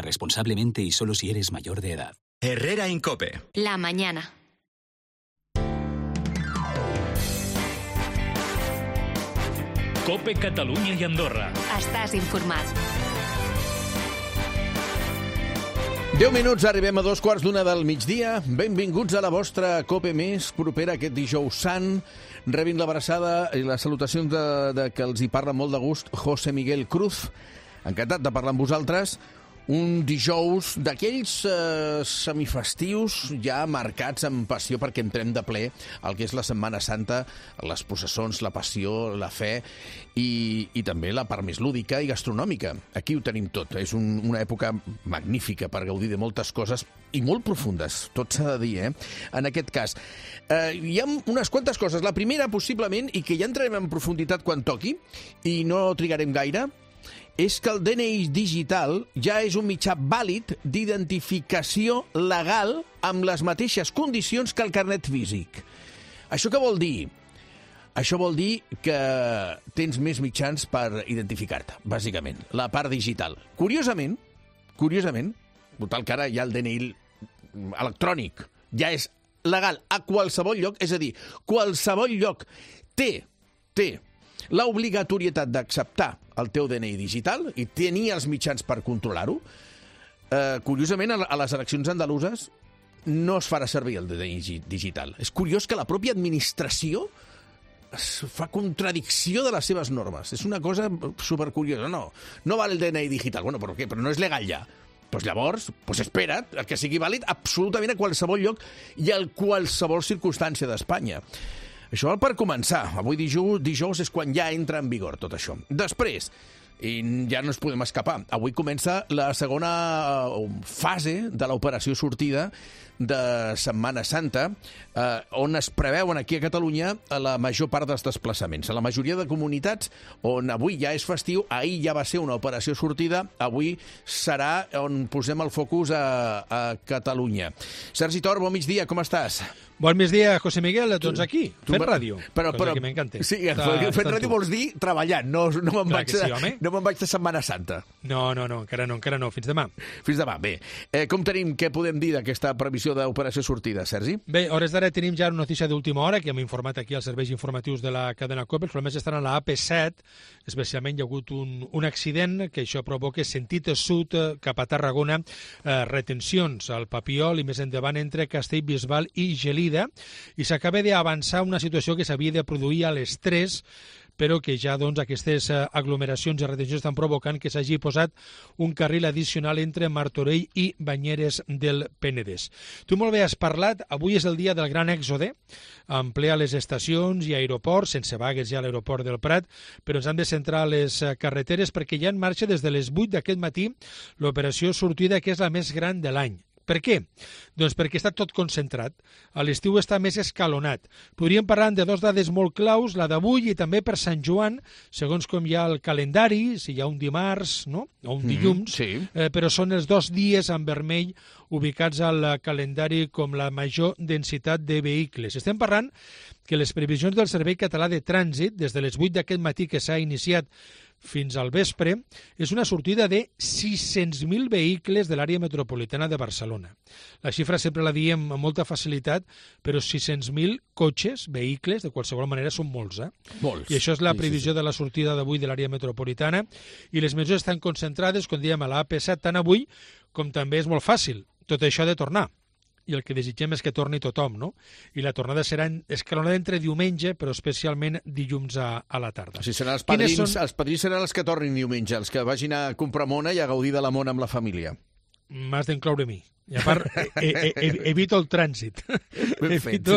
responsablemente y solo si eres mayor de edad. Herrera Incope. La mañana. Cope Catalunya i Andorra. Estàs informat. 10 minuts, arribem a 2:15 del migdia. Benvinguts a la vostra Cope més propera aquest dijous sant. Rebin l'abraçada i les salutacions de que els hi parla molt de gust José Miguel Cruz. Encantat de parlar amb vosaltres. Un dijous d'aquells semifestius ja marcats amb passió perquè entrem de ple el que és la Setmana Santa, les processons, la passió, la fe i també la part més lúdica i gastronòmica. Aquí ho tenim tot. És una època magnífica per gaudir de moltes coses i molt profundes, tot s'ha de dir, en aquest cas. Hi ha unes quantes coses. La primera, possiblement, i que ja entrarem en profunditat quan toqui, i no trigarem gaire, és que el DNI digital ja és un mitjà vàlid d'identificació legal amb les mateixes condicions que el carnet físic. Això què vol dir? Això vol dir que tens més mitjans per identificar-te, bàsicament, la part digital. Curiosament, total que ara ja el DNI electrònic ja és legal a qualsevol lloc, és a dir, qualsevol lloc té l'obligatorietat d'acceptar el teu DNI digital i tenir els mitjans per controlar-ho. Curiosament, a les eleccions andaluses no es farà servir el DNI digital. És curiós que la pròpia administració fa contradicció de les seves normes. És una cosa supercuriosa. No val el DNI digital. Bueno, però què? Però no és legal ja. Doncs llavors, espera't que sigui vàlid absolutament a qualsevol lloc i a qualsevol circumstància d'Espanya. Això per començar. Avui dijous és quan ja entra en vigor tot això. Després, i ja no ens podem escapar, avui comença la segona fase de l'operació sortida de Setmana Santa, on es preveuen aquí a Catalunya la major part dels desplaçaments. A la majoria de comunitats on avui ja és festiu, ahir ja va ser una operació sortida, avui serà on posem el focus a Catalunya. Sergi Tor, bon migdia, com estàs? Bon migdia, José Miguel, doncs aquí, fent ràdio, cosa que m'encanta. Sí, fent ràdio vols dir treballant, no me'n vaig de Setmana Santa. No, encara no, fins demà. Fins demà, bé. Què podem dir d'aquesta previsió d'operació sortida, Sergi? Bé, a hores d'ara tenim ja una notícia d'última hora, que hem informat aquí als serveis informatius de la cadena COPE. Els problemes estan a la AP7, especialment hi ha hagut un accident que això provoca sentit sud cap a Tarragona, retencions al Papiol i més endavant entre Castellbisbal i Gelida, i s'acaba d'avançar una situació que s'havia de produir a les 3, però que ja aquestes aglomeracions i retencions estan provocant que s'hagi posat un carril addicional entre Martorell i Banyeres del Penedès. Tu molt bé has parlat, avui és el dia del gran èxode, en ple a les estacions i aeroports, sense vagues ja a l'aeroport del Prat, però ens han de centrar a les carreteres perquè ja en marxa des de les 8 d'aquest matí l'operació sortida, que és la més gran de l'any. Per què? Doncs perquè està tot concentrat. A l'estiu està més escalonat. Podríem parlar de dues dades molt claus, la d'avui i també per Sant Joan, segons com hi ha el calendari, si hi ha un dimarts, no? O un dilluns, sí. Però són els 2 dies en vermell ubicats al calendari com la major densitat de vehicles. Estem parlant que les previsions del Servei Català de Trànsit, des de les 8 d'aquest matí que s'ha iniciat fins al vespre, és una sortida de 600.000 vehicles de l'àrea metropolitana de Barcelona. La xifra sempre la diem amb molta facilitat, però 600.000 cotxes, vehicles, de qualsevol manera són molts, Molts. I això és la previsió de la sortida d'avui de l'àrea metropolitana, i les mesures estan concentrades, com dèiem, a la AP7, tant avui com també és molt fàcil. Tot això ha de tornar. I el que desitgem és que torni tothom, no? I la tornada serà escalonada entre diumenge, però especialment dilluns a la tarda. O sigui, seran els padrins seran els que tornin diumenge, els que vagin a comprar mona i a gaudir de la mona amb la família. M'has d'incloure a mi. I a part, evito el trànsit. Ben fet.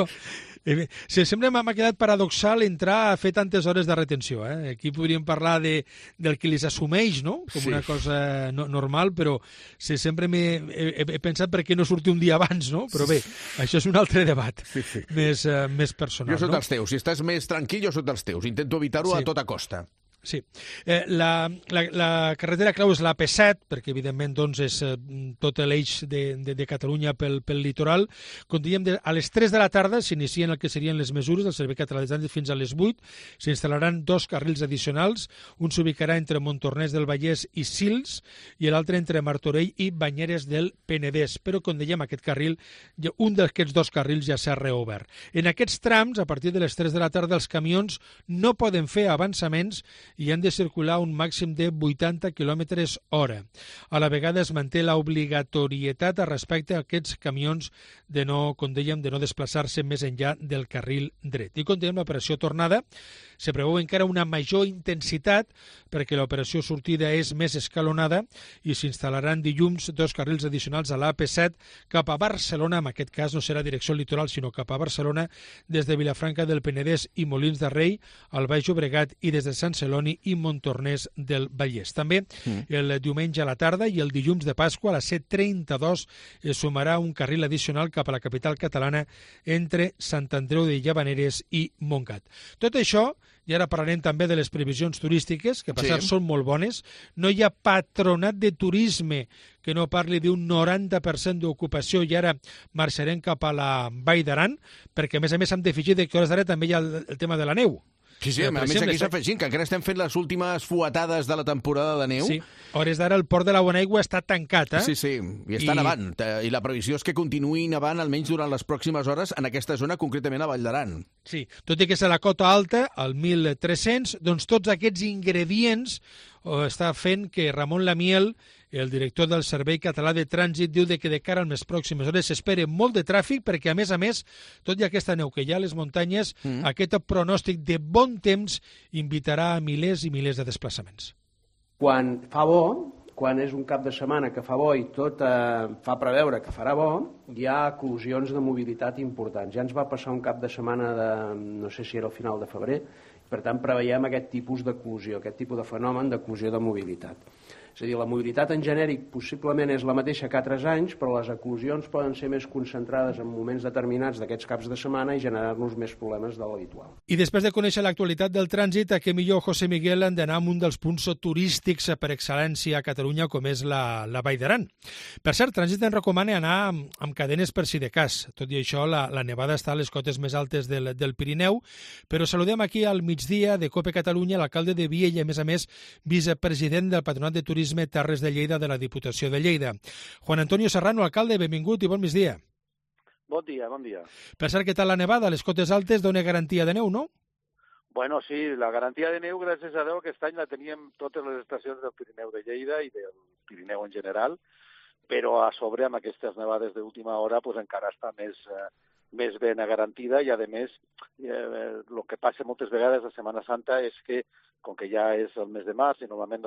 Sempre m'ha quedat paradoxal entrar a fer tantes hores de retenció. Aquí podríem parlar del que les assumeix, no? Com una cosa normal, però sempre he pensat per què no sortir un dia abans, no? Però bé, això és un altre debat més personal. Jo soc dels teus. Si estàs més tranquil, jo soc dels teus. Intento evitar-ho a tota costa. Sí. La carretera clau és l'AP7, perquè evidentment doncs, és tot l'eix de Catalunya pel litoral. Com dèiem, a les 3 de la tarda s'inicien el que serien les mesures del Servei Català de Trànsit fins a les 8. S'instal·laran 2 carrils addicionals. Un s'ubicarà entre Montornès del Vallès i Sils i l'altre entre Martorell i Banyeres del Penedès. Però, com dèiem, aquest carril, un d'aquests 2 carrils ja s'ha reobert. En aquests trams, a partir de les 3 de la tarda, els camions no poden fer avançaments i han de circular un màxim de 80 km hora. A la vegada es manté l'obligatorietat respecte a aquests camions de no, com dèiem, de no desplaçar-se més enllà del carril dret. I com dèiem, l'operació tornada se preveu encara una major intensitat perquè l'operació sortida és més escalonada i s'instal·laran dilluns 2 carrils addicionals a l'AP7 cap a Barcelona, en aquest cas no serà direcció litoral sinó cap a Barcelona, des de Vilafranca del Penedès i Molins de Rei, al Baix Llobregat i des de Sant Celoni i Montornès del Vallès. També el diumenge a la tarda i el dilluns de Pasqua a la C32 es sumarà un carril addicional cap a la capital catalana entre Sant Andreu de Llavaneres i Montgat. Tot això, i ara parlarem també de les previsions turístiques, que passat són molt bones. No hi ha patronat de turisme que no parli d'un 90% d'ocupació i ara marxarem cap a la Vall d'Aran, perquè a més hem d'afegir que a hores d'ara també hi ha el tema de la neu. Sí, a més aquí s'afegint, que encara estem fent les últimes fuetades de la temporada de neu. Sí, a hores d'ara el port de la Bonaigua està tancat, Sí, i està nevant. I la previsió és que continuï nevant almenys durant les pròximes hores en aquesta zona, concretament a Vall d'Aran. Sí, tot i que és a la cota alta, al 1300, doncs tots aquests ingredients està fent que Ramon Lamiel, el director del Servei Català de Trànsit, diu que de cara a les pròximes hores s'espera molt de tràfic perquè, a més, tot i aquesta neu que hi ha a les muntanyes, aquest pronòstic de bon temps invitarà a milers i milers de desplaçaments. Quan fa bo, quan és un cap de setmana que fa bo i tot fa preveure que farà bo, hi ha eclosions de mobilitat importants. Ja ens va passar un cap de setmana de, no sé si era al final de febrer, per tant preveiem aquest tipus d'eclosió, aquest tipus de fenomen d'eclosió de mobilitat. És a dir, la mobilitat en genèric possiblement és la mateixa que altres anys, però les eclosions poden ser més concentrades en moments determinats d'aquests caps de setmana i generar-nos més problemes de l'habitual. I després de conèixer l'actualitat del trànsit, a què millor, José Miguel, han d'anar a un dels punts turístics per excel·lència a Catalunya, com és la Vall d'Aran. Per cert, Trànsit ens recomana anar amb cadenes per si de cas. Tot i això, la nevada està a les cotes més altes del Pirineu, però saludem aquí al migdia de COPE Catalunya l'alcalde de Viella, a més, vicepresident del Patronat de Turisme Terres de Lleida de la Diputació de Lleida. Juan Antonio Serrano, alcalde, benvingut i bon migdia. Bon dia, bon dia. Per cert, què tal la nevada? A les cotes altes dona garantia de neu, no? Bueno, sí, la garantia de neu, gràcies a Déu, aquest any la teníem totes les estacions del Pirineu de Lleida i del Pirineu en general, però a sobre, amb aquestes nevades d'última hora, pues, encara està més ben garantida i, a més, el que passa moltes vegades a Setmana Santa és que, com que ja és el mes de març i normalment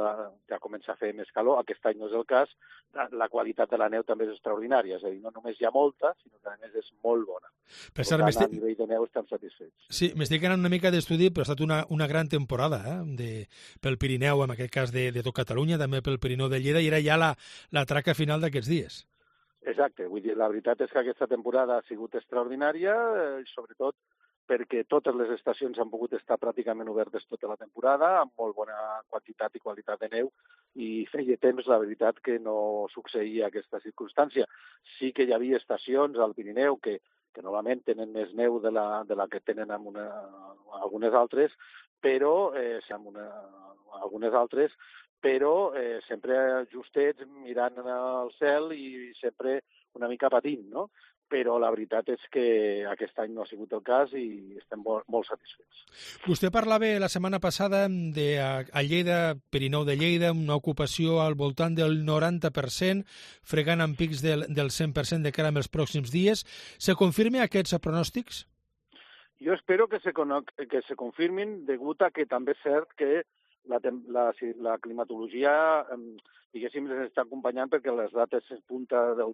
ja comença a fer més calor, aquest any no és el cas, la qualitat de la neu també és extraordinària, és a dir, no només hi ha molta, sinó que a més és molt bona. Per tant, a nivell de neu estem satisfets. Sí, m'estic anant una mica d'estudi, però ha estat una gran temporada pel Pirineu, en aquest cas de tot Catalunya, també pel Pirineu de Lleida, i era ja la traca final d'aquests dies. Exacte, vull dir, la veritat és que aquesta temporada ha sigut extraordinària, sobretot perquè totes les estacions han pogut estar pràcticament obertes tota la temporada, amb molt bona quantitat i qualitat de neu, i feia temps, la veritat, que no succeïa aquesta circumstància. Sí que hi havia estacions al Pirineu que normalment tenen més neu de la que tenen algunes altres, però sempre justets, mirant al cel i sempre una mica patint, no? Però la veritat és que aquest any no ha sigut el cas i estem molt satisfets. Vostè parlava la setmana passada a Lleida, Pirineu de Lleida, una ocupació al voltant del 90%, fregant amb pics del 100% de cara als pròxims dies. Se confirmen aquests pronòstics? Jo espero que se confirmin, degut a que també és cert que la climatologia, diguéssim, ens està acompanyant perquè les dates en punta de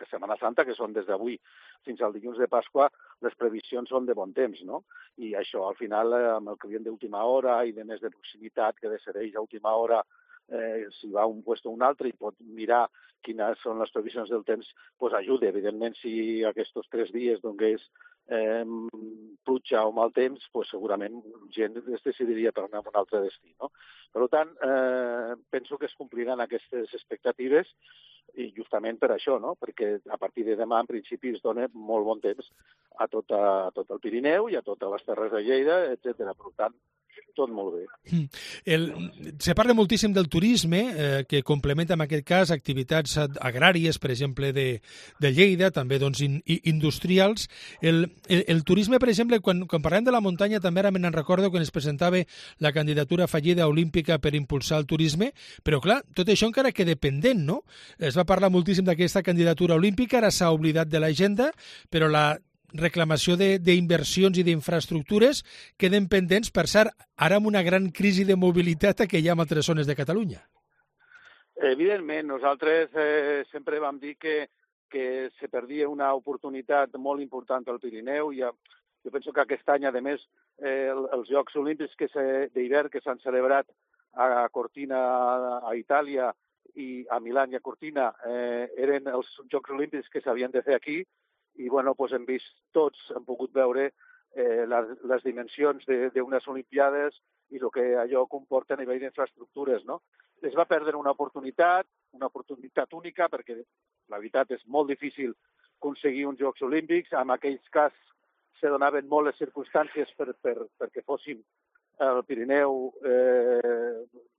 Setmana Santa, que són des d'avui fins al dilluns de Pasqua, les previsions són de bon temps, no? I això, al final, amb el client d'última hora i de més de proximitat que decideix a última hora si va a un lloc o un altre i pot mirar quines són les previsions del temps, doncs ajuda. Evidentment, si aquests 3 dies donés pluja o mal temps, pues segurament gent es decidiria per anar a un altre destí, no? Per tant, penso que es compliran aquestes expectatives i justament per això, no? Perquè a partir de demà, en principi, es dona molt bon temps a tot el Pirineu i a totes les Terres de Lleida, etc. Per tant, tot molt bé. Se parla moltíssim del turisme, que complementa en aquest cas activitats agràries, per exemple, de Lleida, també doncs, industrials. El turisme, per exemple, quan parlem de la muntanya, també ara me'n recordo quan es presentava la candidatura fallida olímpica per impulsar el turisme, però clar, tot això encara queda pendent, no? Es va parlar moltíssim d'aquesta candidatura olímpica, ara s'ha oblidat de l'agenda, però la reclamació d'inversions i d'infraestructures queden pendents, per cert, ara amb una gran crisi de mobilitat que hi ha en altres zones de Catalunya. Evidentment, nosaltres sempre vam dir que se perdia una oportunitat molt important al Pirineu. Jo penso que aquest any, a més, els Jocs Olímpics d'hivern que s'han celebrat a Cortina, a Itàlia, i a Milà i a Cortina, eren els Jocs Olímpics que s'havien de fer aquí, i bueno, doncs hem vist tots, hem pogut veure les dimensions d'unes Olimpiades i el que allò comporta a nivell d'infraestructures, no? Es va perdre una oportunitat única, perquè la veritat és molt difícil aconseguir uns Jocs Olímpics. En aquells cas se donaven molt les circumstàncies perquè fóssim el Pirineu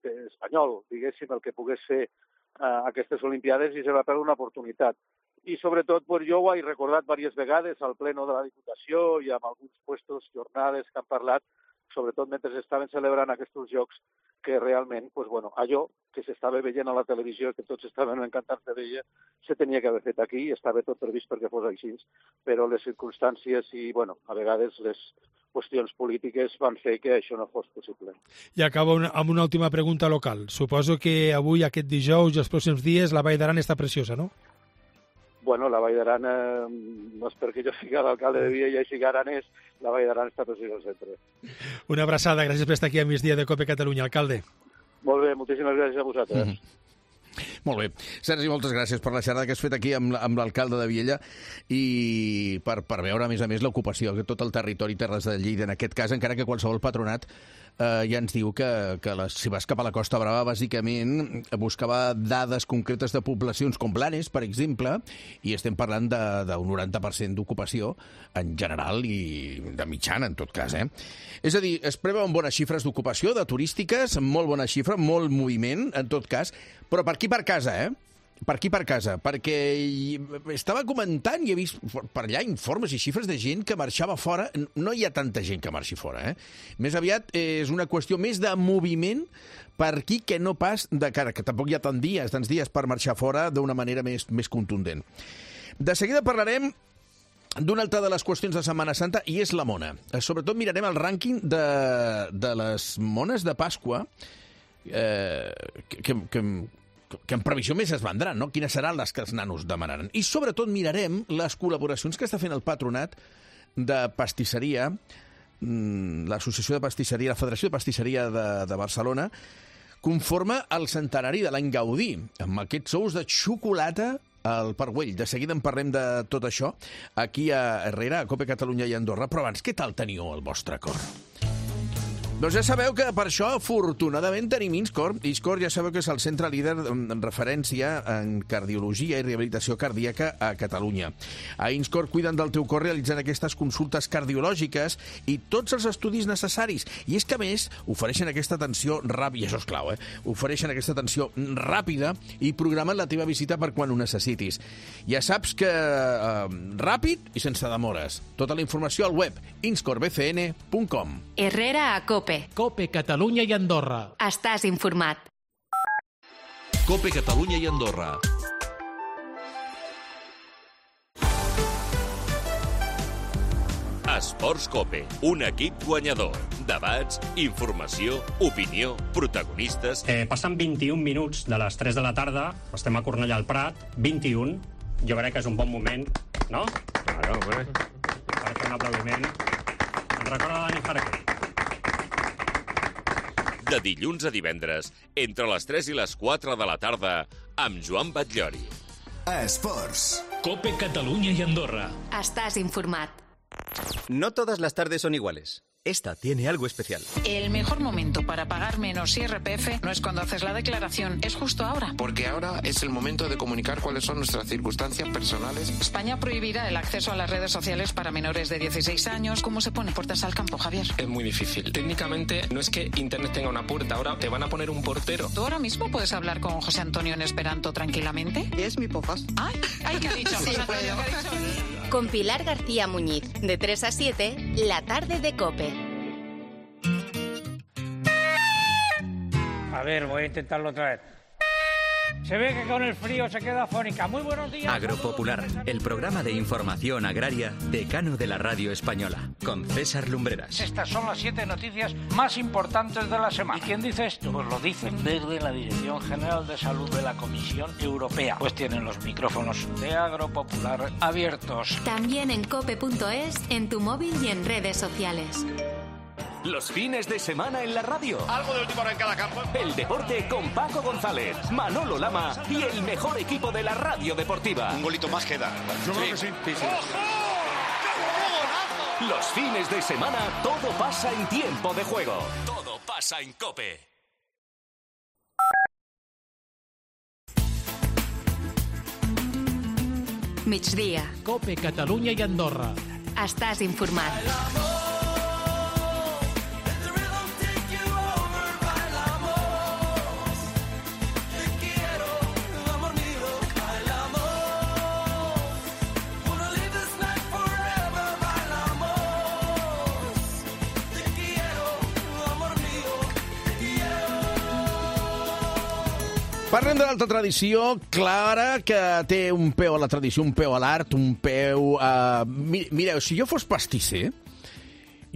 espanyol, diguéssim, el que pogués fer aquestes Olimpiades, i se va perdre una oportunitat. I sobretot jo ho he recordat diverses vegades al pleno de la Diputació i amb alguns puestos, jornades que han parlat, sobretot mentre s'estaven celebrant aquests jocs, que realment, allò que s'estava veient a la televisió, que tots estaven encantats de veure, se tenia que haver fet aquí, i estava tot previst perquè fos així, però les circumstàncies i, a vegades les qüestions polítiques van fer que això no fos possible. I acabo amb una última pregunta local. Suposo que avui, aquest dijous i els pròxims dies, la Vall d'Aran està preciosa, no? La Vall d'Aran, no és perquè jo sigui l'alcalde de Viella i sigui aranès, la Vall d'Aran està preciosa al centre. Una abraçada, gràcies per estar aquí a migdia de COPE Catalunya, alcalde. Molt bé, moltíssimes gràcies a vosaltres. Molt bé. Sergi, moltes gràcies per la xerrada que has fet aquí amb l'alcalde de Viella i per veure, a més, l'ocupació de tot el territori Terres de Lleida, en aquest cas, encara que qualsevol patronat ja ens diu que si vas cap a la Costa Brava, bàsicament buscava dades concretes de poblacions com Blanes, per exemple, i estem parlant d'un 90% d'ocupació en general i de mitjana, en tot cas. És a dir, es preveuen bones xifres d'ocupació, de turístiques, molt bona xifra, molt moviment, en tot cas, però per aquí per casa, Per aquí per casa, perquè estava comentant i he vist per allà informes i xifres de gent que marxava fora. No hi ha tanta gent que marxi fora, Més aviat és una qüestió més de moviment per aquí que no pas de cara, que tampoc hi ha tants dies per marxar fora d'una manera més contundent. De seguida parlarem d'una altra de les qüestions de Setmana Santa, i és la mona. Sobretot mirarem el rànquing de les mones de Pasqua que en previsió més es vendran, no? Quines seran les que els nanos demanaran. I sobretot mirarem les col·laboracions que està fent el patronat de pastisseria, l'Associació de Pastisseria, la Federació de Pastisseria de Barcelona, conforme al centenari de l'any Gaudí, amb aquests ous de xocolata al Parc Güell. De seguida en parlem de tot això aquí a Herrera, a COPE Catalunya i Andorra. Però abans, què tal teniu el vostre cor? Doncs ja sabeu que per això, afortunadament, tenim INSCOR. INSCOR ja sabeu que és el centre líder en referència en cardiologia i rehabilitació cardíaca a Catalunya. A INSCOR cuiden del teu cor realitzant aquestes consultes cardiològiques i tots els estudis necessaris. I és que, a més, ofereixen aquesta atenció ràpida, i això és clau, ofereixen aquesta atenció ràpida i programen la teva visita per quan ho necessitis. Ja saps que ràpid i sense demores. Tota la informació al web inscorbcn.com. Herrera a COPE. COPE Catalunya i Andorra. Estàs informat. COPE Catalunya i Andorra. Esports COPE, un equip guanyador. Debats, informació, opinió, protagonistes... Passen 21 minuts de les 3 de la tarda, estem a Cornellà al Prat, 21. Jo crec que és un bon moment, no? Claro, hombre. Per fer un aplaudiment. Ens recorda Dani Jarque. De dilluns a divendres, entre les 3 i les 4 de la tarda, amb Joan Batllori. Esports. COPE Catalunya i Andorra. Estàs informat. No todas las tardes son iguales. Esta tiene algo especial. El mejor momento para pagar menos IRPF no es cuando haces la declaración, es justo ahora. Porque ahora es el momento de comunicar cuáles son nuestras circunstancias personales. España prohibirá el acceso a las redes sociales para menores de 16 años. ¿Cómo se pone puertas al campo, Javier? Es muy difícil. Técnicamente no es que Internet tenga una puerta, ahora te van a poner un portero. ¿Tú ahora mismo puedes hablar con José Antonio en esperanto tranquilamente? Es mi pofas. Ay, ¿qué ha dicho? Sí, José Antonio, ¿qué ha dicho? Con Pilar García Muñiz, de 3 a 7, la tarde de COPE. A ver, voy a intentarlo otra vez. Se ve que con el frío se queda afónica. Muy buenos días. Agropopular, el programa de información agraria decano de la radio española, con César Lumbreras. Estas son las 7 noticias más importantes de la semana. ¿Y quién dice esto? Pues lo dicen desde la Dirección General de Salud de la Comisión Europea. Pues tienen los micrófonos de Agropopular abiertos. También en cope.es, en tu móvil y en redes sociales. Los fines de semana en la radio. Algo de última hora en cada campo. El deporte con Paco González, Manolo Lama y el mejor equipo de la radio deportiva. Un golito más queda. Yo creo que sí. ¡Ojo! Los fines de semana todo pasa en tiempo de juego. Todo pasa en COPE. Migdia. COPE, Catalunya i Andorra. Estàs informat. Parlem de l'altra tradició, Clara, que té un peu a la tradició, un peu a l'art, un peu a... Mireu, si jo fos pastisser,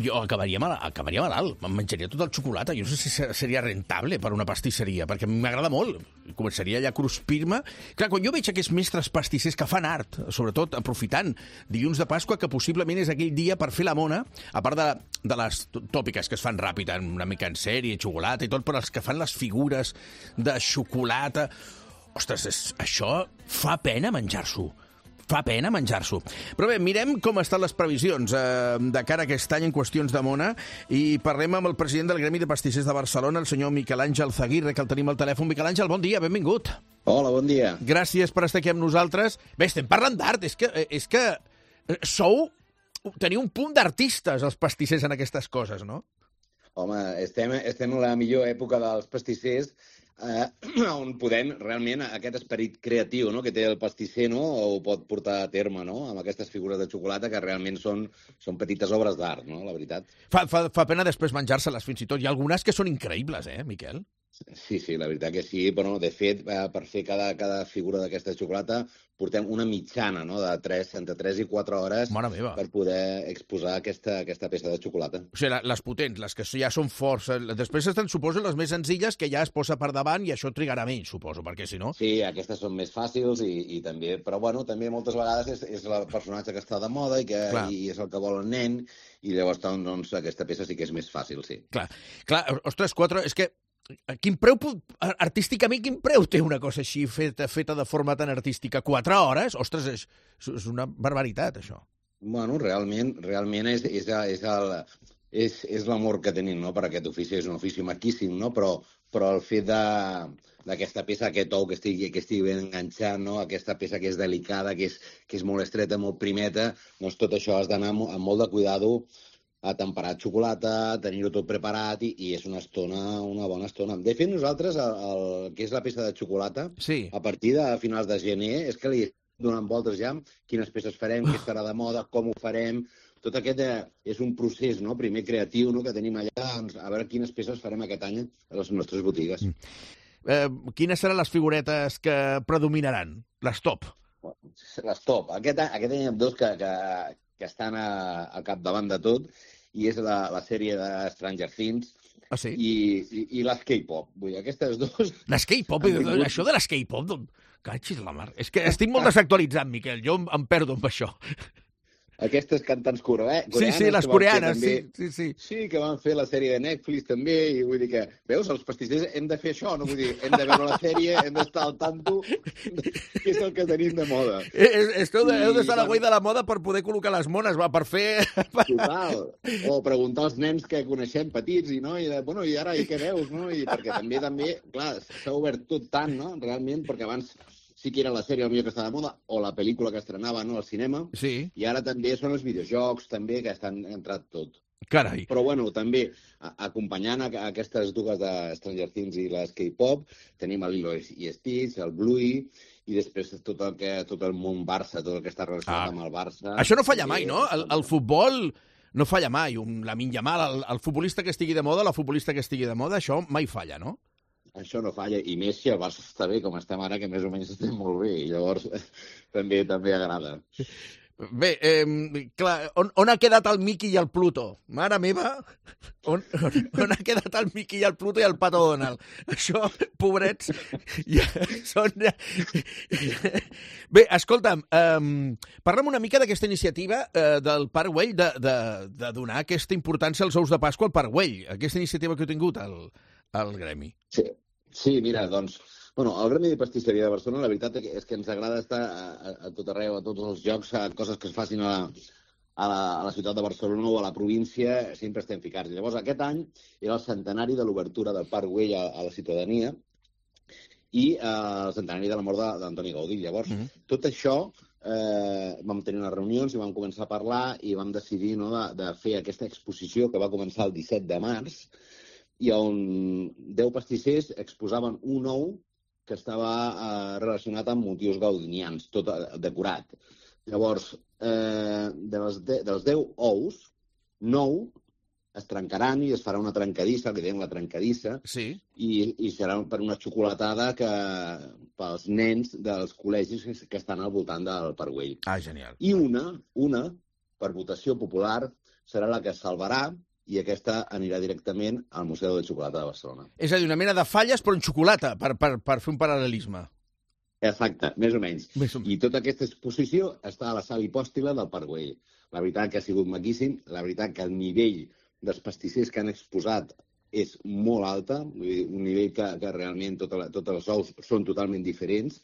jo acabaria malalt, em menjaria tot el xocolata. Jo no sé si seria rentable per una pastisseria, perquè m'agrada molt. Començaria ja a cruspir-me. Clar, quan jo veig aquests mestres pastissers que fan art, sobretot aprofitant dilluns de Pasqua, que possiblement és aquell dia per fer la mona, a part de les tòpiques que es fan ràpid, una mica en sèrie, xocolata i tot, però els que fan les figures de xocolata... Ostres, això fa pena menjar-s'ho. Fa pena menjar-s'ho. Però bé, mirem com estan les previsions de cara a aquest any en qüestions de mona i parlem amb el president del Gremi de Pastissers de Barcelona, el senyor Miquel Àngel Zaguirre, que el tenim al telèfon. Miquel Àngel, bon dia, benvingut. Hola, bon dia. Gràcies per estar aquí amb nosaltres. Bé, estem parlant d'art. És que teniu un punt d'artistes, els pastissers, en aquestes coses, no? Home, estem en la millor època dels pastissers, on podem realment aquest esperit creatiu, no?, que té el pastisser, no?, ho pot portar a terme, no?, amb aquestes figures de xocolata que realment són petites obres d'art, no?, la veritat. Fa pena després menjar-se-les fins i tot. Hi ha algunes que són increïbles, Miquel? Sí, la veritat que sí, però de fet, per fer cada figura d'aquesta xocolata portem una mitjana, no?, entre 3 i 4 hores per poder exposar aquesta peça de xocolata. O sigui, les potents, les que ja són forts. Després estan, suposo, les més senzilles, que ja es posa per davant i això trigarà menys, suposo, perquè si no... Sí, aquestes són més fàcils i també... Però, bueno, també moltes vegades és el personatge que està de moda i és el que vol el nen, i llavors, doncs, aquesta peça sí que és més fàcil, sí. Clar, ostres, 4... És que quin preu, artísticament, quin preu té una cosa així feta de forma tan artística? 4 hores? Ostres, és una barbaritat, això. Bueno, realment és l'amor que tenim, no?, per aquest ofici. És un ofici maquíssim, no?, però el fet d'aquesta peça, aquest ou que estigui ben enganxat, no?, aquesta peça que és delicada, que és molt estreta, molt primeta, doncs tot això has d'anar amb molt de cuidado a temperar xocolata, tenir-ho tot preparat i és una bona estona. De fet, nosaltres, el que és la peça de xocolata, a partir de finals de gener, és que li donem voltes ja quines peces farem, què estarà de moda, com ho farem... Tot aquest és un procés, no?, primer creatiu, no?, que tenim allà, doncs, a veure quines peces farem aquest any a les nostres botigues. Quines seran les figuretes que predominaran? Les top? Les top. Aquest any hi ha dos que estan al capdavant de tot, i és la sèrie de Stranger Things i les K-pop. Vull dir, aquestes dues... Les K-pop? Això de les K-pop? Catxis la mar. És que estic molt desactualitzat, Miquel. Jo em perdo amb això. aquestes cantants coreanes. Sí, les coreanes, sí. Sí, que van fer la sèrie de Netflix també, i vull dir que, veus, els pastissers hem de fer això, no? Vull dir, hem de veure la sèrie, hem d'estar al tanto, que és el que tenim de moda. Heu d'estar a la guai de la moda per poder col·locar les mones, va, per fer... Total. O preguntar als nens que coneixem petits, i bueno, i ara, i què veus, no? I perquè també, clar, s'ha obert tot tant, no? Realment, perquè abans sí que era la sèrie el millor que estava de moda, o la pel·lícula que estrenava, no?, al cinema, sí. I ara també són els videojocs, també, que estan entrat tot. Carai. Però, bueno, també, acompanyant aquestes dues de Stranger Things i les K-pop, tenim el Lilo i Stitch, el Bluey, i després tot el món Barça, tot el que està relacionat amb el Barça. Això no falla mai, no? El futbol no falla mai. Lamine Yamal, el futbolista que estigui de moda, la futbolista que estigui de moda, això mai falla, no? Això no falla, i més si el Barça està bé, com estem ara, que més o menys estem molt bé, i llavors també agrada. Bé, clar, on ha quedat el Mickey i el Pluto? Mare meva, on ha quedat el Mickey i el Pluto i el Pato Donald? Això, pobrets, ja són... Bé, escolta'm, parla'm una mica d'aquesta iniciativa del Parc Güell de donar aquesta importància als ous de Pasqua al Parc Güell, aquesta iniciativa que heu tingut al Gremi. Sí, mira, doncs... Bueno, al Gremi de Pastisseria de Barcelona, la veritat és que ens agrada estar a tot arreu, a tots els llocs, a coses que es facin a la ciutat de Barcelona o a la província, sempre estem ficats. Llavors, aquest any era el centenari de l'obertura del Parc Güell a la ciutadania i el centenari de la mort d'Antoni Gaudí. Llavors, tot això vam tenir unes reunions i vam començar a parlar i vam decidir de fer aquesta exposició que va començar el 17 de març i on 10 pastissers exposaven un ou que estava relacionat amb motius gaudinians, tot decorat. Llavors, dels 10 ous, 9 es trencaran i es farà una trencadissa, que diem la trencadissa, i serà per una xocolatada pels nens dels col·legis que estan al voltant del Parc Güell. Ah, genial. I una, per votació popular, serà la que salvarà i aquesta anirà directament al Museu de Xocolata de Barcelona. És a dir, una mena de falles, però en xocolata, per fer un paral·lelisme. Exacte, més o menys. I tota aquesta exposició està a la sala hipòstila del Parc Güell. La veritat que ha sigut maquíssim, la veritat que el nivell dels pastissers que han exposat és molt alta, un nivell que realment tots els ous són totalment diferents,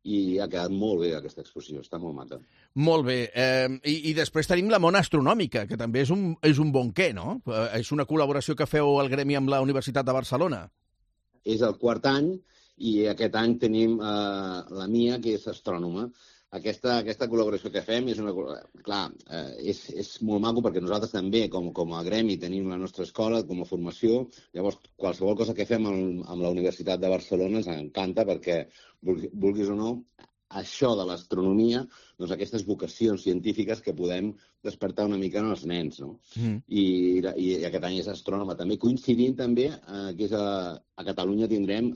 i ha quedat molt bé aquesta exposició, està molt maca. Molt bé. I després tenim la Mona Astronòmica, que també és un bon què, no? És una col·laboració que feu al Gremi amb la Universitat de Barcelona. És el quart any, i aquest any tenim la Mia, que és astrònoma. Aquesta col·laboració que fem és és molt maco perquè nosaltres també, com a gremi, tenim la nostra escola com a formació. Llavors, qualsevol cosa que fem amb la Universitat de Barcelona ens encanta perquè, vulguis o no, això de l'astronomia, doncs aquestes vocacions científiques que podem despertar una mica en els nens, no? I aquest any és astrònoma. També coincidint també que a Catalunya tindrem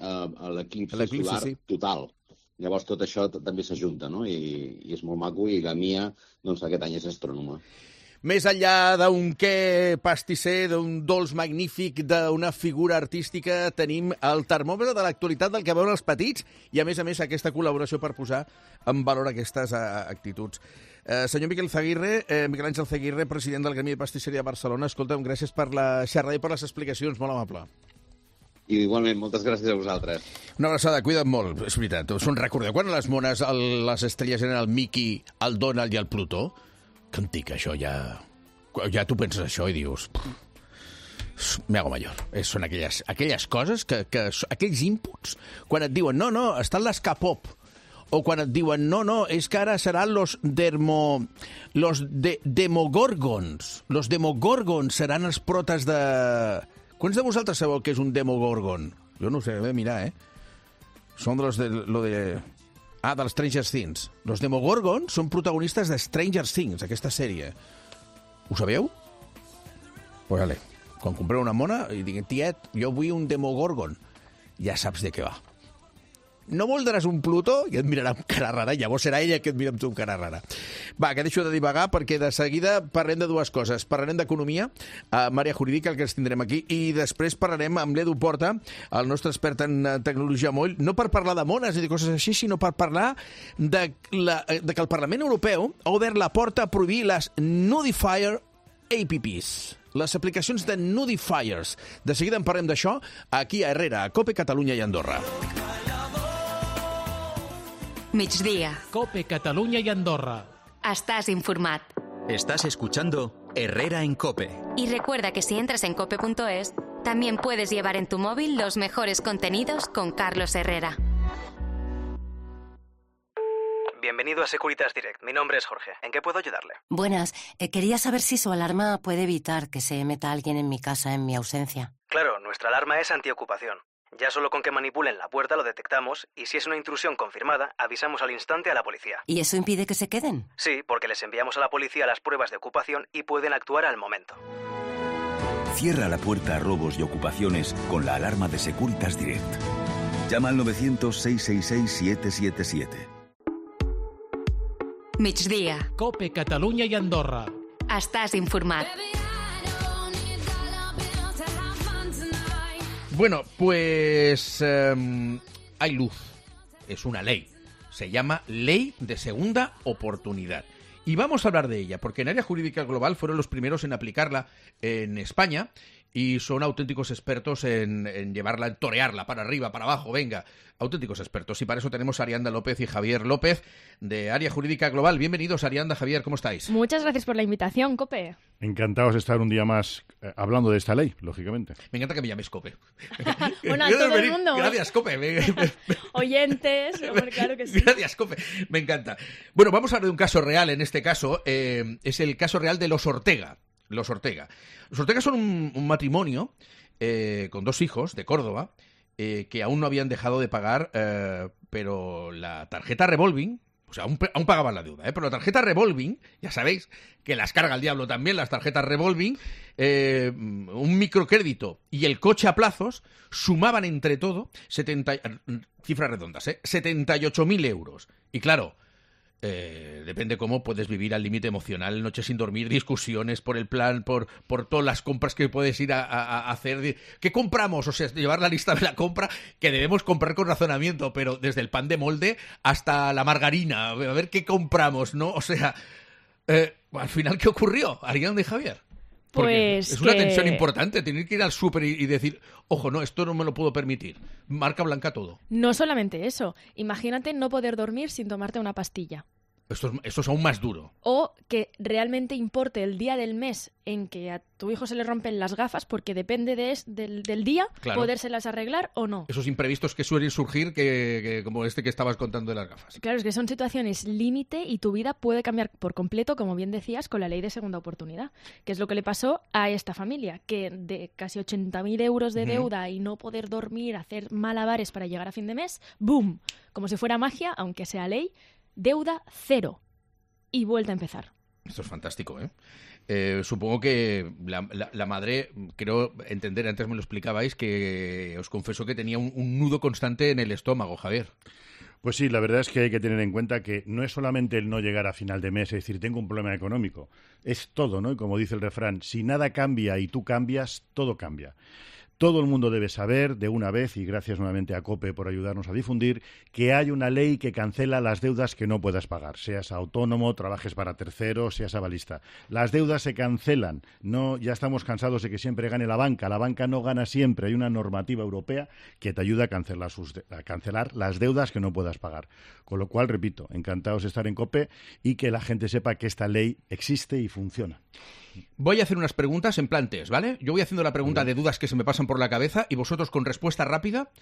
l'eclipsi solar total. Llavors tot això també s'ajunta, no? I és molt maco, i la Mia, doncs aquest any és astrònoma. Més enllà d'un què pastisser, d'un dolç magnífic, d'una figura artística, tenim el termòmetre de l'actualitat del que veuen els petits i, a més, aquesta col·laboració per posar en valor aquestes actituds. Senyor Miquel Àngel Zaguirre, president del Gremi de Pastisseria de Barcelona, escolta'm, gràcies per la xerrada i per les explicacions, molt amable. I igualment, moltes gràcies a vosaltres. Una abraçada, cuida't molt, és veritat. Us en recordeu quan les mones, les estrelles eren el Mickey, el Donald i el Plutó? Que antic, això, ja tu penses això i dius... Me hago mayor. Són aquelles coses, aquells inputs, quan et diuen, no, estan les K-pop, o quan et diuen, no, és que ara seran los demogorgons. Los demogorgons seran els protes de... Quants de vosaltres sabeu què és un demogorgon? Jo no ho sé, he de mirar, Són dels Stranger Things. Los demogorgons són protagonistes de Stranger Things, aquesta sèrie. Ho sabeu? Pues vale, quan compreu una mona i diguin, tiet, jo vull un demogorgon, ja saps de què va. no voldràs un Plutó? I et mirarà amb cara rara, llavors serà ella que et mira amb tu amb cara rara. Va, que deixo de divagar perquè de seguida parlem de dues coses. Parlarem d'economia, Mària Jurídica, el que ens tindrem aquí, i després parlarem amb l'Edu Porta, el nostre expert en tecnologia moll, no per parlar de mones i de coses així, sinó per parlar de que el Parlament Europeu ha obert la porta a prohibir les Nudifier apps, les aplicacions de Nudifiers. De seguida en parlem d'això aquí a Herrera, a COPE, Catalunya i Andorra. Migdia. COPE, Catalunya y Andorra. Estás informat. Estás escuchando Herrera en COPE. Y recuerda que si entras en cope.es, también puedes llevar en tu móvil los mejores contenidos con Carlos Herrera. Bienvenido a Securitas Direct. Mi nombre es Jorge. ¿En qué puedo ayudarle? Buenas. Quería saber si su alarma puede evitar que se meta alguien en mi casa en mi ausencia. Claro, nuestra alarma es antiocupación. Ya solo con que manipulen la puerta lo detectamos y si es una intrusión confirmada, avisamos al instante a la policía. ¿Y eso impide que se queden? Sí, porque les enviamos a la policía las pruebas de ocupación y pueden actuar al momento. Cierra la puerta a robos y ocupaciones con la alarma de Securitas Direct. Llama al 900-666-777. Migdia. COPE, Catalunya i Andorra. Estàs informat. Bueno, pues hay luz. Es una ley. Se llama Ley de Segunda Oportunidad. Y vamos a hablar de ella, porque en Área Jurídica Global fueron los primeros en aplicarla en España y son auténticos expertos en llevarla, en torearla, para arriba, para abajo, venga, auténticos expertos. Y para eso tenemos a Arianda López y Javier López, de Área Jurídica Global. Bienvenidos, Arianda, Javier, ¿cómo estáis? Muchas gracias por la invitación, COPE. Encantados de estar un día más hablando de esta ley, lógicamente. Me encanta que me llames COPE. Bueno, a todo el mundo. Gracias, COPE. Oyentes, hombre, claro que sí. Gracias, COPE. Me encanta. Bueno, vamos a hablar de un caso real en este caso. Es el caso real de los Ortega. Los Ortega. Los Ortega son un matrimonio con 2 hijos de Córdoba que aún no habían dejado de pagar, pero la tarjeta revolving, o sea, aún pagaban la deuda, pero la tarjeta revolving, ya sabéis que las carga el diablo también, las tarjetas revolving, un microcrédito y el coche a plazos sumaban entre todo, cifras redondas, 78.000 euros. Y claro, depende cómo puedes vivir al límite emocional, noches sin dormir, discusiones por el plan, por todas las compras que puedes ir a hacer. ¿Qué compramos? O sea, llevar la lista de la compra que debemos comprar con razonamiento, pero desde el pan de molde hasta la margarina, a ver qué compramos, ¿no? O sea, al final, ¿qué ocurrió, Arianda y Javier? Porque pues es una tensión importante, tener que ir al súper y decir, ojo, no, esto no me lo puedo permitir. Marca blanca todo. No solamente eso. Imagínate no poder dormir sin tomarte una pastilla. Esto es aún más duro. O que realmente importe el día del mes en que a tu hijo se le rompen las gafas, porque depende del día, claro, podérselas arreglar o no. Esos imprevistos que suelen surgir, que como este que estabas contando de las gafas. Claro, es que son situaciones límite y tu vida puede cambiar por completo, como bien decías, con la ley de segunda oportunidad, que es lo que le pasó a esta familia, que de casi 80.000 euros de deuda y no poder dormir, hacer malabares para llegar a fin de mes, ¡boom! Como si fuera magia, aunque sea ley, deuda 0 y vuelta a empezar. Esto es fantástico, ¿eh? Supongo que la madre, creo entender, antes me lo explicabais, que os confesó que tenía un nudo constante en el estómago, Javier. Pues sí, la verdad es que hay que tener en cuenta que no es solamente el no llegar a final de mes, es decir, tengo un problema económico. Es todo, ¿no? Y como dice el refrán, si nada cambia y tú cambias, todo cambia. Todo el mundo debe saber de una vez, y gracias nuevamente a COPE por ayudarnos a difundir, que hay una ley que cancela las deudas que no puedas pagar. Seas autónomo, trabajes para terceros, seas avalista. Las deudas se cancelan. No, ya estamos cansados de que siempre gane la banca. La banca no gana siempre. Hay una normativa europea que te ayuda a cancelar las deudas que no puedas pagar. Con lo cual, repito, encantados de estar en COPE y que la gente sepa que esta ley existe y funciona. Voy a hacer unas preguntas en plan test, ¿vale? Yo voy haciendo la pregunta de dudas que se me pasan por la cabeza y vosotros con respuesta rápida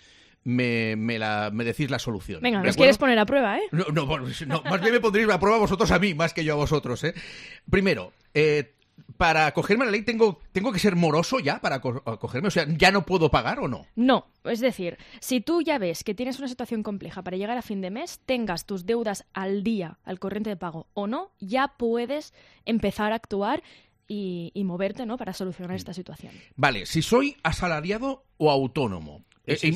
me decís la solución. Venga, nos quieres poner a prueba, ¿eh? No, más bien me pondréis a prueba vosotros a mí, más que yo a vosotros, ¿eh? Primero, para acogerme a la ley tengo que ser moroso ya para acogerme, o sea, ¿ya no puedo pagar o no? No, es decir, si tú ya ves que tienes una situación compleja para llegar a fin de mes, tengas tus deudas al día, al corriente de pago o no, ya puedes empezar a actuar y moverte, ¿no?, para solucionar esta situación. Vale, si soy asalariado o autónomo,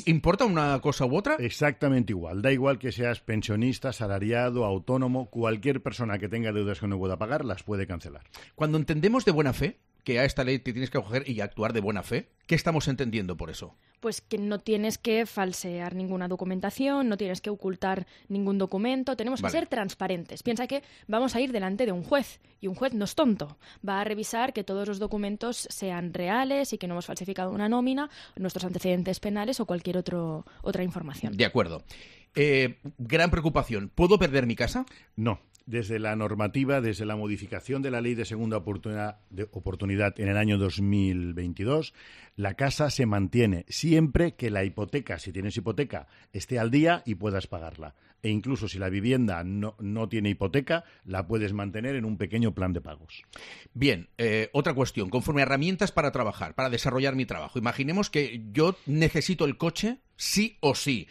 ¿Importa una cosa u otra? Exactamente igual. Da igual que seas pensionista, asalariado, autónomo, cualquier persona que tenga deudas que no pueda pagar las puede cancelar. Cuando entendemos de buena fe que a esta ley te tienes que acoger y actuar de buena fe, ¿qué estamos entendiendo por eso? Pues que no tienes que falsear ninguna documentación, no tienes que ocultar ningún documento, tenemos que ser transparentes. Piensa que vamos a ir delante de un juez y un juez no es tonto. Va a revisar que todos los documentos sean reales y que no hemos falsificado una nómina, nuestros antecedentes penales o cualquier otra información. De acuerdo. Gran preocupación. ¿Puedo perder mi casa? No. Desde la normativa, desde la modificación de la Ley de Segunda Oportunidad en el año 2022, la casa se mantiene siempre que la hipoteca, si tienes hipoteca, esté al día y puedas pagarla. E incluso si la vivienda no tiene hipoteca, la puedes mantener en un pequeño plan de pagos. Bien, otra cuestión. Conforme a herramientas para trabajar, para desarrollar mi trabajo. Imaginemos que yo necesito el coche sí o sí.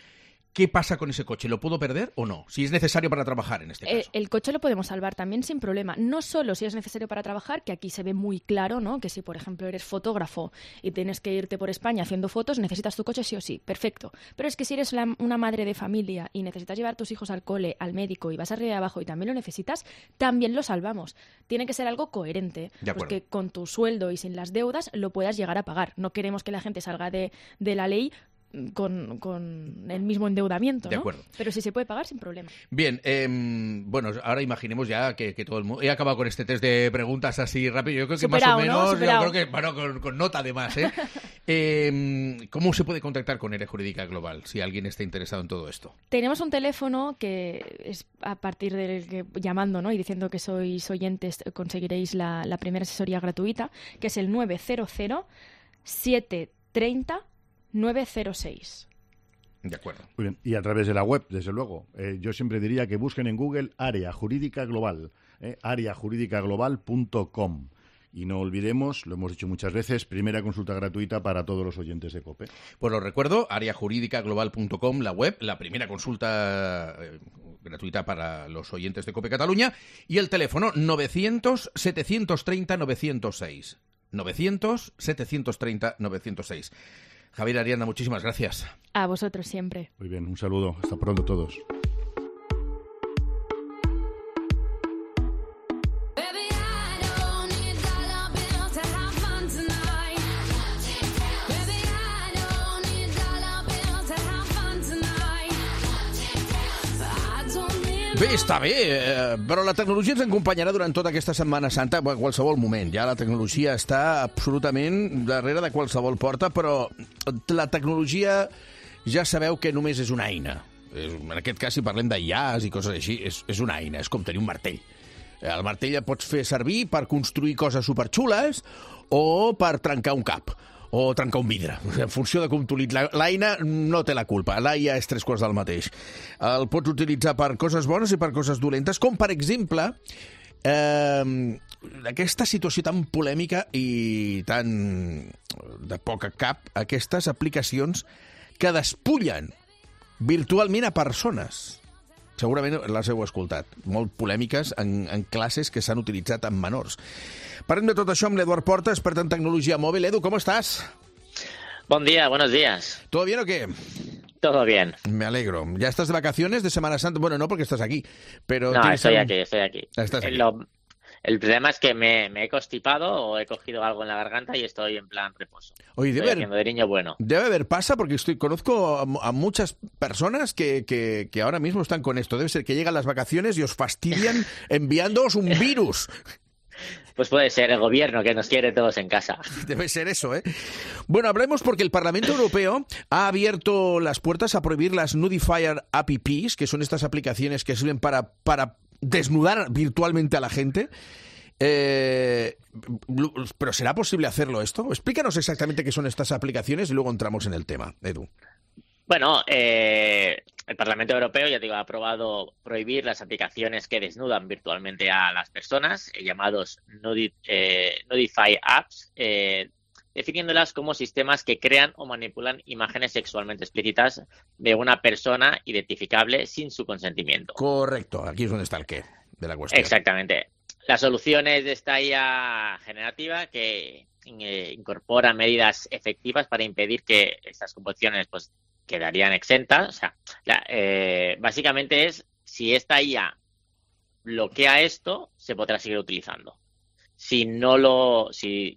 ¿Qué pasa con ese coche? ¿Lo puedo perder o no? Si es necesario para trabajar en este caso. El coche lo podemos salvar también sin problema. No solo si es necesario para trabajar, que aquí se ve muy claro, ¿no? Que si, por ejemplo, eres fotógrafo y tienes que irte por España haciendo fotos, necesitas tu coche sí o sí. Perfecto. Pero es que si eres una madre de familia y necesitas llevar a tus hijos al cole, al médico y vas arriba y abajo y también lo necesitas, también lo salvamos. Tiene que ser algo coherente. Pues que con tu sueldo y sin las deudas lo puedas llegar a pagar. No queremos que la gente salga de la ley con el mismo endeudamiento, ¿no? De acuerdo. Pero sí se puede pagar sin problema. Bien, bueno, ahora imaginemos ya que todo el mundo... He acabado con este test de preguntas así rápido. Yo creo que superado, más o menos... ¿no? Superado. Yo creo que, bueno, con nota además, ¿eh? ¿Cómo se puede contactar con Área Jurídica Global si alguien está interesado en todo esto? Tenemos un teléfono que es a partir del que llamando, ¿no? Y diciendo que sois oyentes conseguiréis la primera asesoría gratuita, que es el 900 730 906. De acuerdo. Muy bien. Y a través de la web, desde luego. Yo siempre diría que busquen en Google Área Jurídica Global, areajurídicaglobal.com. Y no olvidemos, lo hemos dicho muchas veces, primera consulta gratuita para todos los oyentes de COPE. Pues lo recuerdo, areajurídicaglobal.com, la web, la primera consulta gratuita para los oyentes de COPE Cataluña, y el teléfono 900-730-906. 900-730-906. Javier Arianda, muchísimas gracias. A vosotros siempre. Muy bien, un saludo. Hasta pronto todos. Bé, està bé, però la tecnologia ens acompanyarà durant tota aquesta Setmana Santa, a qualsevol moment. Ja la tecnologia està absolutament darrere de qualsevol porta, però la tecnologia ja sabeu que només és una eina. En aquest cas, si parlem d'IAs i coses així, és una eina, és com tenir un martell. El martell el pots fer servir per construir coses superxules o per trencar un cap o trencar un vidre, en funció de com t'utilitzis. L'eina no té la culpa, l'eina és tres quarts del mateix. El pots utilitzar per coses bones i per coses dolentes, com per exemple aquesta situació tan polèmica i tan de poca cap, aquestes aplicacions que despullen virtualment a persones. Segurament les heu escoltat. Molt polèmiques en classes que s'han utilitzat amb menors. Parlem de tot això amb l'Eduard Porta, expert en tecnologia mòbil. Edu, ¿cómo estás? Buen día, buenos días. ¿Todo bien o qué? Todo bien. Me alegro. ¿Ya estás de vacaciones de Semana Santa? Bueno, no porque estás aquí, pero... No, estoy aquí. Estás aquí. El problema es que me he constipado o he cogido algo en la garganta y estoy en plan reposo. Oye, haciendo de niño bueno. Debe haber pasa porque conozco a muchas personas que ahora mismo están con esto. Debe ser que llegan las vacaciones y os fastidian enviándoos un virus. Pues puede ser el gobierno que nos quiere todos en casa. Debe ser eso, ¿eh? Bueno, hablemos porque el Parlamento Europeo ha abierto las puertas a prohibir las Nudifier apps, que son estas aplicaciones que sirven para desnudar virtualmente a la gente. ¿Pero será posible hacerlo esto? Explícanos exactamente qué son estas aplicaciones y luego entramos en el tema, Edu. Bueno, el Parlamento Europeo, ya te digo, ha aprobado prohibir las aplicaciones que desnudan virtualmente a las personas, llamados Nudify Apps, definiéndolas como sistemas que crean o manipulan imágenes sexualmente explícitas de una persona identificable sin su consentimiento. Correcto, aquí es donde está el qué de la cuestión. Exactamente. La solución es de esta IA generativa que incorpora medidas efectivas para impedir que estas composiciones pues quedarían exentas. O sea, básicamente es, si esta IA bloquea esto, se podrá seguir utilizando. Si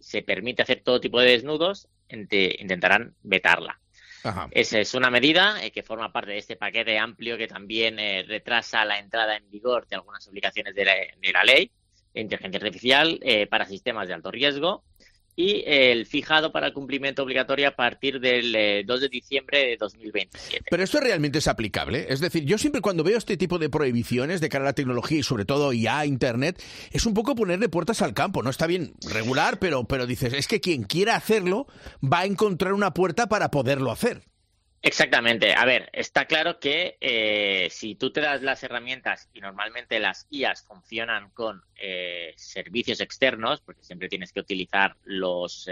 se permite hacer todo tipo de desnudos, intentarán vetarla. Ajá. Esa es una medida que forma parte de este paquete amplio que también retrasa la entrada en vigor de algunas obligaciones de la ley de inteligencia artificial para sistemas de alto riesgo, y el fijado para el cumplimiento obligatorio a partir del 2 de diciembre de 2027. ¿Pero esto realmente es aplicable? Es decir, yo siempre cuando veo este tipo de prohibiciones de cara a la tecnología y sobre todo IA, Internet, es un poco ponerle puertas al campo. No está bien regular, pero dices, es que quien quiera hacerlo va a encontrar una puerta para poderlo hacer. Exactamente. A ver, está claro que si tú te das las herramientas, y normalmente las IAs funcionan con servicios externos, porque siempre tienes que utilizar los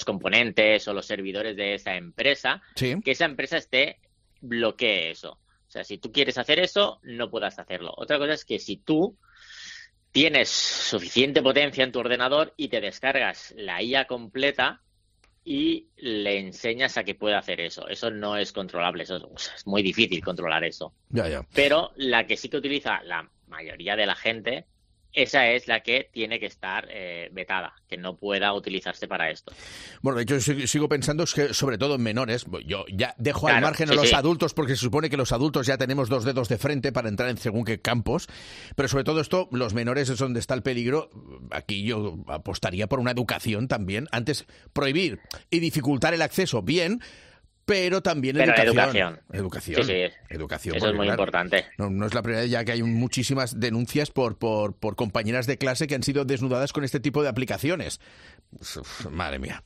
componentes o los servidores de esa empresa, sí, que esa empresa bloquee eso. O sea, si tú quieres hacer eso, no puedas hacerlo. Otra cosa es que si tú tienes suficiente potencia en tu ordenador y te descargas la IA completa y le enseñas a que pueda hacer eso. Eso no es controlable, es muy difícil controlar eso. Ya. Pero la que sí que utiliza la mayoría de la gente, esa es la que tiene que estar vetada, que no pueda utilizarse para esto. Bueno, de hecho, sigo pensando que sobre todo en menores, yo ya dejo al margen a sí, los adultos, porque se supone que los adultos ya tenemos 2 dedos de frente para entrar en según qué campos, pero sobre todo esto, los menores es donde está el peligro. Aquí yo apostaría por una educación también. Antes, prohibir y dificultar el acceso, bien, pero también educación. Sí. Educación. Eso es muy importante. No es la primera vez ya que hay muchísimas denuncias por compañeras de clase que han sido desnudadas con este tipo de aplicaciones. Uf, madre mía.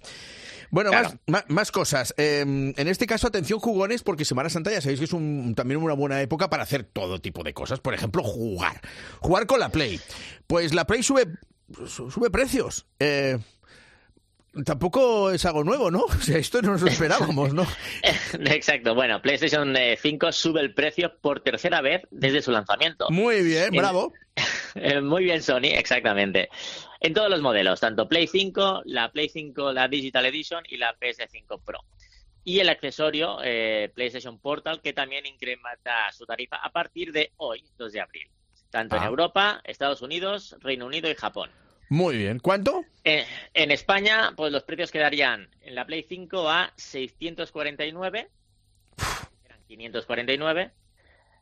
Bueno, claro. más cosas. En este caso, atención jugones, porque Semana Santa ya sabéis que es también una buena época para hacer todo tipo de cosas. Por ejemplo, jugar con la Play. Pues la Play sube precios. Tampoco es algo nuevo, ¿no? O sea, esto no nos lo esperábamos, ¿no? Exacto. Bueno, PlayStation 5 sube el precio por tercera vez desde su lanzamiento. Muy bien, bravo. Muy bien, Sony, exactamente. En todos los modelos, tanto Play 5, la Play 5, la Digital Edition y la PS5 Pro. Y el accesorio PlayStation Portal, que también incrementa su tarifa a partir de hoy, 2 de abril. Tanto en Europa, Estados Unidos, Reino Unido y Japón. Muy bien. ¿Cuánto? En España, pues los precios quedarían en la Play 5 a 649, eran 549,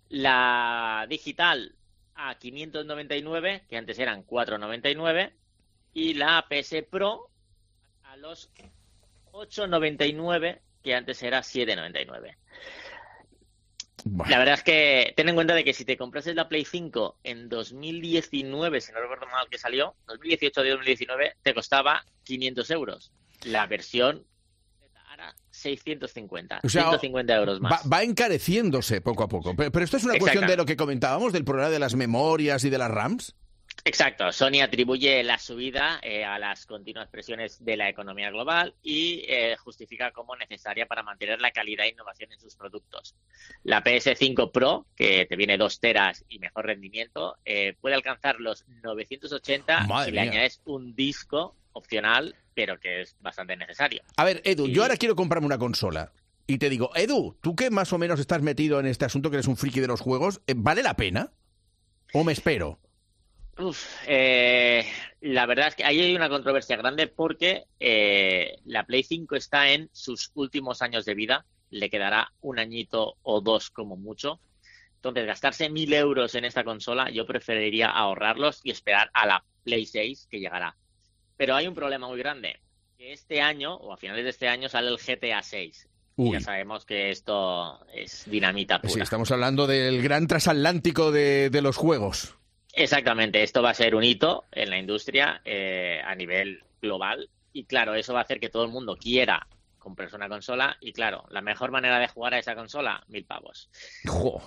la digital a 599, que antes eran 499, y la PS Pro a los 899, que antes era 799. Bueno. La verdad es que ten en cuenta de que si te comprases la Play 5 en 2019, si no recuerdo mal que salió, 2018 de 2019, te costaba 500 euros. La versión ahora 650, o sea, 150 euros más. Va encareciéndose poco a poco. Pero esto es una cuestión de lo que comentábamos, del problema de las memorias y de las RAMs. Exacto. Sony atribuye la subida a las continuas presiones de la economía global y justifica como necesaria para mantener la calidad e innovación en sus productos. La PS5 Pro, que te viene 2 teras y mejor rendimiento, puede alcanzar los 980 si le añades un disco opcional, pero que es bastante necesario. A ver, Edu, yo ahora quiero comprarme una consola. Y te digo, Edu, tú que más o menos estás metido en este asunto, que eres un friki de los juegos, ¿vale la pena? ¿O me espero? La verdad es que ahí hay una controversia grande porque la Play 5 está en sus últimos años de vida, le quedará un añito o 2 como mucho. Entonces, gastarse 1.000 euros en esta consola, yo preferiría ahorrarlos y esperar a la Play 6 que llegará. Pero hay un problema muy grande, que este año, o a finales de este año, sale el GTA 6. Y ya sabemos que esto es dinamita pura. Sí, estamos hablando del gran transatlántico de los juegos. Exactamente, esto va a ser un hito en la industria a nivel global y claro, eso va a hacer que todo el mundo quiera comprarse una consola y claro, la mejor manera de jugar a esa consola, 1.000 pavos.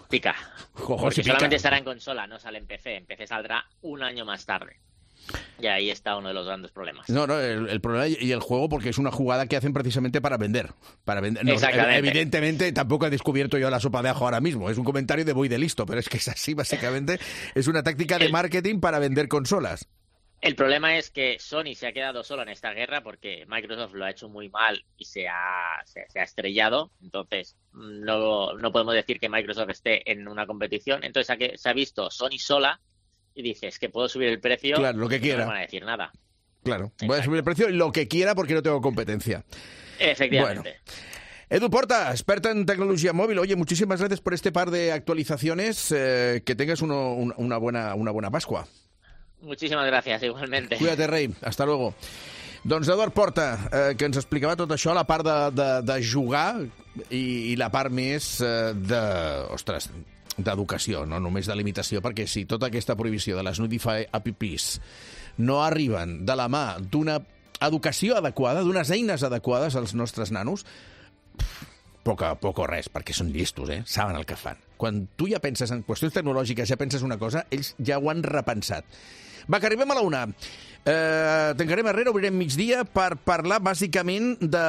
Pica. Porque solamente estará en consola, no sale en PC. En PC saldrá un año más tarde. Y ahí está uno de los grandes problemas. No, el problema y el juego, porque es una jugada que hacen precisamente para vender. No, evidentemente, tampoco he descubierto yo la sopa de ajo ahora mismo. Es un comentario de voy de listo, pero es que es así, básicamente. Es una táctica de marketing para vender consolas. El problema es que Sony se ha quedado solo en esta guerra porque Microsoft lo ha hecho muy mal y se ha estrellado. Entonces, no podemos decir que Microsoft esté en una competición. Entonces, se ha visto Sony sola y dice, es que puedo subir el precio. Claro, lo que quiera. No me van a decir nada. Claro, Exacto. Voy a subir el precio lo que quiera porque no tengo competencia. Efectivamente. Bueno. Edu Porta, experta en tecnología móvil. Oye, muchísimas gracias por este par de actualizaciones. Que tengas una buena Pascua. Muchísimas gracias, igualmente. Cuídate, rei. Hasta luego. Doncs Eduard Porta, que ens explicava tot això, la part de jugar i la part més d'educació, no només de limitació, perquè si tota aquesta prohibició de les Nudify apps no arriben de la mà d'una educació adequada, d'unes eines adequades als nostres nanos, poc o res, perquè són llestos, saben el que fan. Quan tu ja penses en qüestions tecnològiques, ja penses una cosa, ells ja ho han repensat. Va, que arribem a la 1. Tancarem arrere, obrirem migdia per parlar bàsicament de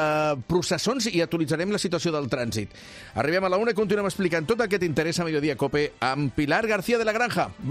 processons i actualitzarem la situació del trànsit. Arribem a la 1 i continuem explicant tot el que t'interessa a Mediodía Cope amb Pilar García de la Granja.